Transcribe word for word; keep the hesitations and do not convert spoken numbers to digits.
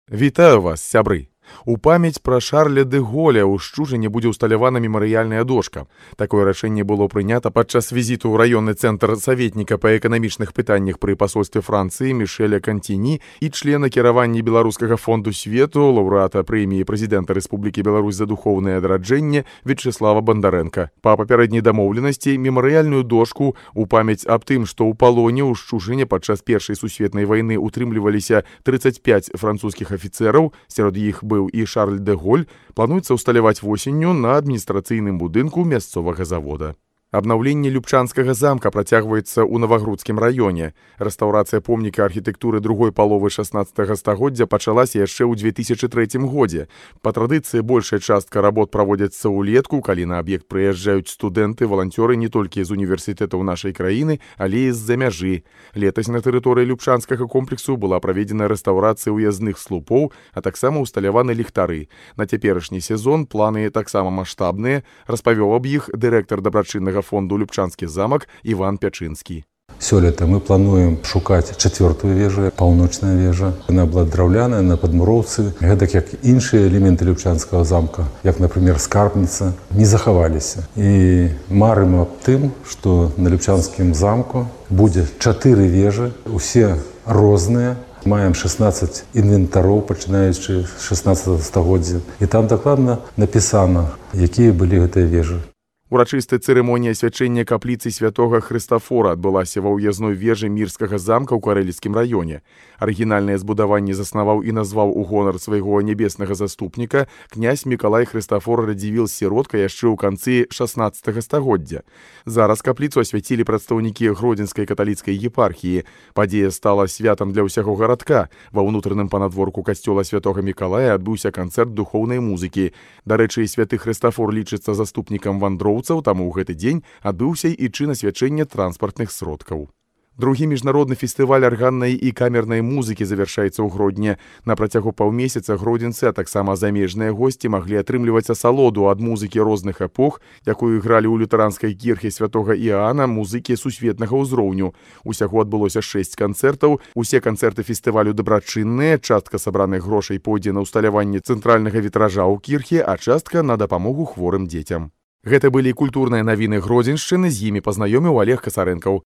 Вітаю вас, сябры! У памяць пра Шарля де Голля ў Шчужыне будзе ўсталявана мемарыяльная дошка. Такое рашэнне было прынята падчас візіту ў раённы цэнтр саветніка па эканамічных пытаннях пры пасольстве Францыі Мішэля Кантіні і члена кіравання Беларускага фонду свету, лаўрэата прэміі прэзідэнта Рэспублікі Беларусь за духоўнае адраджэнне Вячеслава Бандарэнка. Па папярэдняй дамоўленасці мемарыяльную дошку ў памяць аб тым, што ў палоне ў Шчужыне падчас Першай сусветнай вайны утрымліваліся трыццаць пяць французскіх афіцэраў, сярод іх быў і Шарль де Голль, плануецца ўсталяваць восенню на адміністрацыйным будынку мясцовага завода. Абнаўленне Любчанскага замка працягваецца ў Навагрудскім раёне. Рэстаўрацыя помніка архітэктуры другой паловы шаснаццатага стагоддзя пачалася яшчэ ў дзве тысячы трэцім годзе. Па традыцыі большая частка работ праводзяцца ўлетку, калі на аб'ект прыязджаюць студэнты, валанцёры не толькі з універсітэтаў нашай краіны, але і з-за мяжы. Летась на тэрыторыі Любчанскага комплексу была праведзена рэстаўрацыя ўязных слупоў, а таксама ўсталяваны ліхтары. На цяперашні сезон планы таксама маштабныя, распавёў аб іх дырэктар дабрачыннага фонду Любчанскі замак Іван Пячынскі. Сёлета мы плануем шукаць чацвёртую вежу, паўночная вежа. Яна была драўляная, на падмуроўцы. Гэтак як іншыя элементы Любчанскага замка, як, например, скарбніца, не захаваліся. І марым аб тым, што на Любчанскім замку будзе чатыры вежы, усе розныя. Маем шаснаццаць інвентароў, пачынаючы з шаснаццатага стагоддзя. І там дакладна напісана, якія былі гэтыя вежы. Урачыстая цырымонія асвячэння капліцы святога Хрыстафора адбылася ва ўязной вежы Мірскага замка ў Карэліцкім раёне. Арыгінальнае збудаванне заснаваў і назваў у гонар свайго нябеснага заступніка князь Мікалай Хрыстафор Радзівіл-сіротка яшчэ ў канцы шаснаццатага стагоддзя. Зараз капліцу асвяцілі прадстаўнікі Гродзенскай каталіцкай епархіі. Падзея стала святам для ўсяго гарадка. Ва ўнутраным панадворку касцёла святога Мікалая адбыўся канцэрт духоўнай музыкі. Дарэчы, святы Хрыстафор лічыцца заступнікам вандроў, таму ў гэты дзень адбыўся і чын асвячэння транспартных сродкаў. Другі міжнародны фестываль арганнай і камернай музыкі завяршаецца ў Гродні. На працягу паўмесяца гродзенцы, а таксама замежныя госці маглі атрымліваць асалоду ад музыкі розных эпох, якую гралі ў лютэранскай кірхе святога Іаана музыкі сусветнага ўзроўню. Усяго адбылося шэсць канцэртаў. Усе канцэрты фестывалю дабрачынныя, частка сабраных грошай пойдзе на ўсталяванне цэнтральнага вітража ў кірхе, а частка на дапамогу хворым дзецям. Гэта былі культурныя навіны Гродзеншчыны, з імі пазнаёміў Олег Касарэнкаў.